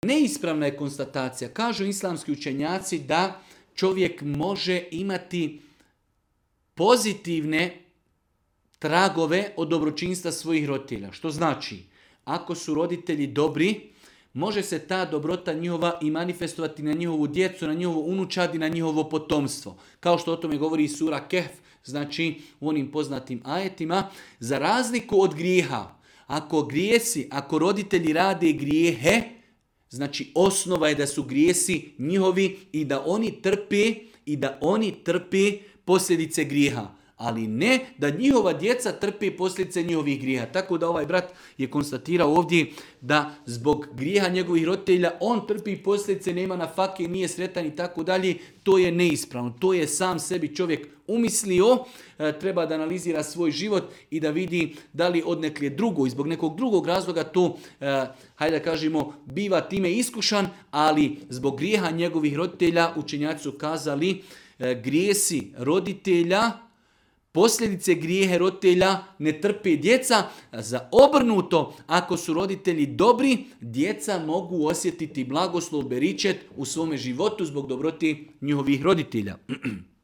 Neispravna je konstatacija. Kažu islamski učenjaci da čovjek može imati pozitivne tragove od dobročinstva svojih roditelja. Što znači, ako su roditelji dobri, može se ta dobrota njihova i manifestovati na njihovu djecu, na njihovo unučad i na njihovo potomstvo. Kao što o tome govori i sura Kehf, znači u onim poznatim ajetima, za razliku od grijeha. Ako roditelji rade grijehe, znači osnova je da su grijesi njihovi i da oni trpe posljedice grijeha. Ali ne da njihova djeca trpe posljedice njihovih grijeha. Tako da ovaj brat je konstatirao ovdje da zbog grijeha njegovih roditelja on trpi posljedice, nema na fake, nije sretan i tako dalje. To je neispravno. To je sam sebi čovjek umislio. Treba da analizira svoj život i da vidi da li odnekle drugo i zbog nekog drugog razloga to, hajde da kažemo, biva time iskušan, ali zbog grijeha njegovih roditelja učenjaci su kazali grijesi roditelja, posljedice grijehe roditelja ne trpe djeca, za obrnuto, ako su roditelji dobri, djeca mogu osjetiti blagoslov, beričet u svome životu zbog dobroti njihovih roditelja.